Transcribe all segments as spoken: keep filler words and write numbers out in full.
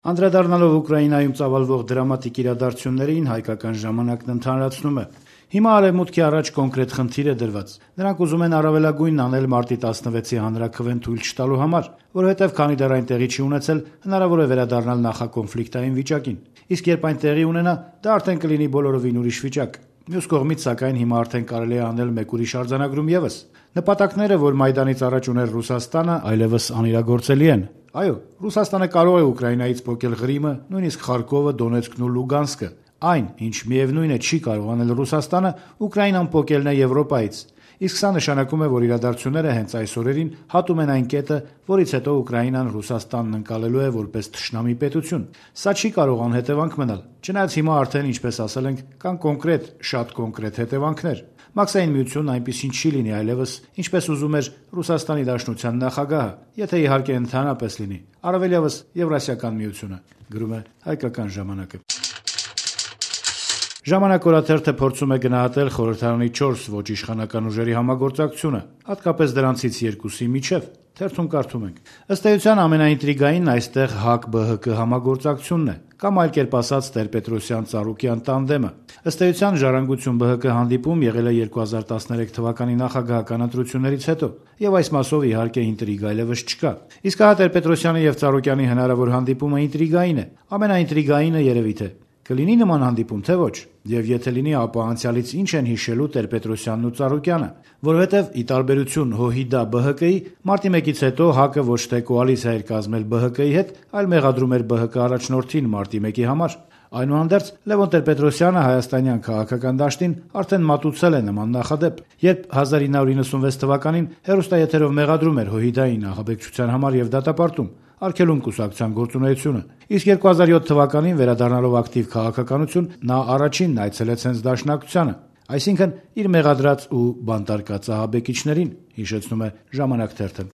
Անդրադառնալով Ուկրաինայում ծավալվող դրամատիկ իրադարձություններին, հայկական ժամանակն ընդհանրացնում է. Հիմա Արևմուտքի առաջ կոնկրետ խնդիր է դրված. նրանք ուզում են առավելագույնն անել մարտի տասնվեցի հանրաքվեն թույլ չտալու համար, որովհետև քանի դեռ այն տեղի չի ունեցել, հնարավոր է վերադառնալ նախակոնֆլիկտային վիճակին, իսկ երբ այն տեղի ունենա, դա արդեն կլինի բոլորովին ուրիշ վիճակ։ Մյուս կողմից, սակայն, հիմա արդեն կարելի է անել մեկ ուրիշ արձանագրում եւս. նպատակները, որ Մայդանից առաջ ուներ Ռուսաստանը, այլևս անիրագործելի են։ Այո, Ռուսաստանը կարող է Ուկրաինայից փոկել Ղրիմը, նույնիսկ Խարկովը, Դոնեցկն ու Լուգանսկը։ Այն, ինչ միևնույն է չի կարող անել Ռուսաստանը, Ուկրաինան փոկելն է Եվրոպայից։ Իսկ սա նշանակում է, որ իրադարձությունները հենց այս օրերին հատում են այն կետը, որից հետո Ուկրաինան Ռուսաստանն ընկալելու է որպես թշնամի պետություն։ Սա չի կարող անհետևանք մնալ, չնայած հիմա արդեն, ինչպես ասել ենք, կան կոնկրետ, շատ կոնկրետ հետևանքներ։ Մաքսային միությունն այնպիսին չի լինի այլևս, ինչպես ուզում էր Ռուսաստանի Դաշնության նախագահը, եթե իհարկե ընդհանրապես լինի, առավելևս Եվրասիական միությունը, գրում է Հայկական ժամանակը։ Ժամանակ օրաթերթը փորձում է գնահատել խորհրդարանի չորս ոչ իշխանական ուժերի համագործակցությունը, հատկապես դրանցից երկուսի միջև։ Թերթում կարդում ենք. ըստ էության ամենաինտրիգայինն այստեղ ՀԱԿ-ԲՀԿ համագործակցությունն է, կամ այլ կերպ ասած Տեր-Պետրոսյան-Ծառուկյան տանդեմը։ Ըստ էության Ժառանգություն-ԲՀԿ հանդիպում եղել է երկու հազար տասներեք թվականի նախագահական ընտրություններից հետո, եւ այս մասով իհարկե ինտրիգ այլևս չկա։ Իսկ հա Տեր-Պետրոսյանի եւ Ծառուկյանի հնարավոր հանդիպումը ինտրիգային է, ամենաինտրիգայինը երևի թե կլինի նման հանդիպում, թե ոչ, եւ եթե լինի, ապա անցյալից ինչ են հիշելու Տեր-Պետրոսյանն ու Ծառուկյանը, որովհետեւ ի տարբերություն ՀՅԴ-ԲՀԿ-ի, մարտի մեկից հետո ՀԱԿ-ը ոչ թե կոալիցիա էր կազմել ԲՀԿ-ի հետ, այլ մեղադրում էր ԲՀԿ առաջնորդին մարտի մեկի համար։ Այնուհանդերձ Լևոն Տեր-Պետրոսյանը հայաստանյան քաղաքական դաշտին արդեն մատուցել է նման նախադեպ, երբ հազար ինը հարյուր նվսանվեց թվականին հեռուստաեթերով մեղադրում էր ՀՅԴ-ին ահաբեկչության համար եւ դատապարտում, արգելում կուսակցության գործունեությունը։ Իսկ երկու հազար յոթ թվականին վերադառնալով ակտիվ քաղաքականություն, նա առաջինն այցելեց հենց Դաշնակցությանը, այսինքն իր մեղադրած ու բանտարկած ահաբեկիչներին, հիշեցնում է Ժամանակ թերթը։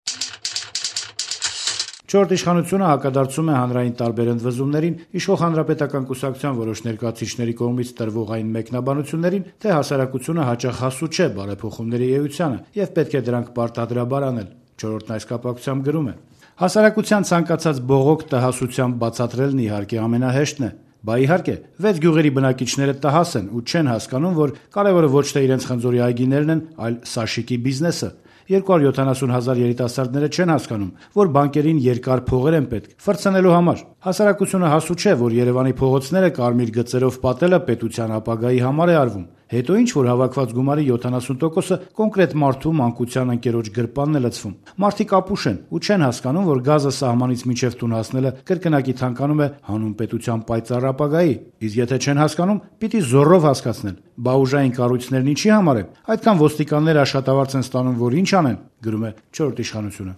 Չորրորդ իշխանությունը հակադարձում է հանրային տարբեր ընդվզումներին, իշխող հանրապետական կուսակցության որոշ ներկայացուցիչների կողմից տրվող այն մեկնաբանություններին, թե հասարակությունը հաճախ հասու չէ բարեփոխումների էությանը եւ պետք է դրանք պարտադրաբար անել։ Չորրորդն այս կապակցությամբ գրում է. հասարակության ցանկացած բողոք տհասությամբ բացատրելն իհարկե ամենահեշտն է։ Բա իհարկե, վեց գյուղերի բնակիչները տհաս են ու չեն հասկանում, որ կարևորը ոչ թե իրենց խնձորի այգիներն են, այլ Սաշիկի բիզնեսը։ երկու հարյուր յոթանասուն հազար երիտասարդները չեն հասկանում, որ բանկերին երկար փողեր են պետք ֆրցնելու համար։ Հասարակությունը հասու չէ, որ Երևանի փողոցները կարմիր գծերով պատելը պետության ապագայի համար է արվում։ Հետո ինչ որ հավաքված գումարի յոթանասուն տոկոսը կոնկրետ մարդու մանկության ընկերոջ գրպանն է լցվում։ Մարդիկ ապուշ են ու չեն հասկանում, որ գազը սահմանից մինչև տուն հասնելը կրկնակի թանկանում է հանուն պետության պայծառ ապագայի։ Իսկ եթե չեն հասկանում, պիտի զոռով հասկացնել։ Բա ուժային կառույցներն ինչի համար են։ Այդքան ոստիկաններ աշխատավարձ են ստանում, որ ինչ անեն, գրում է չորրորդ իշխանությունը։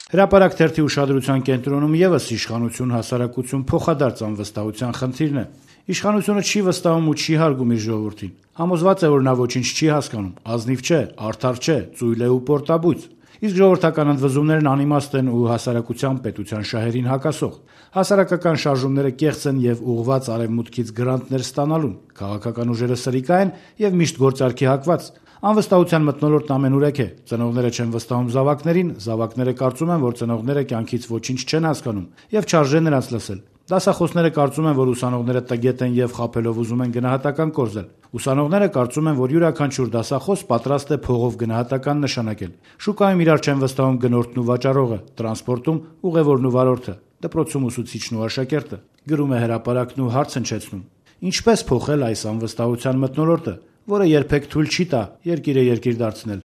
Հրապարակ թերթի ուշադրության կենտրոնում եւս իշխանություն հասարակություն փոխադարձ անվստահության խնդիրն է։ Իշխանությունը չի վստահում ու չի հարգում իր ժողովրդին։ Համոզված է, որ նա ոչինչ չի հասկանում, ազնիվ չէ, արդար չէ, ծույլ է ու պորտաբույծ։ Իսկ ժողովրդական ընդվզումներն անիմաստ են ու հասարակության պետության շահերին հակասող։ Հասարակական շարժումները կեղծ են եւ ուղղված արևմուտքից գրանտներ ստանալուն։ Քաղաքական ուժերը սրիկա են եւ միշտ գործարքի հակված։ Անվստահության մթնոլորտն ամենուրեք է։ Ծնողները չեն վստահում զավակներին, զավակները կարծում են, որ ծնողները կյանքից ոչինչ չեն հասկանում եւ չարժե նրանց լսել։ Դասախոսները կարծում են, որ ուսանողները տգետ են եւ խաբելով ուզում են գնահատական կորզել։ Ուսանողները կարծում են, որ յուրաքանչյուր դասախոս պատրաստ է փողով գնահատական նշանակել։ Շուկայում իրար չեն վստահում գնորդն ու վաճառողը, տրանսպորտում ուղևորն ու վարորդը, դպրոցում ուսուցիչն ու աշակերտը, գրում է Հրապարակն ու հարց հնչեցնում. ինչպես փոխել այս անվստահության մթնոլորտը, որը երբեք թույլ չի տա երկիրը երկիր դարձնել։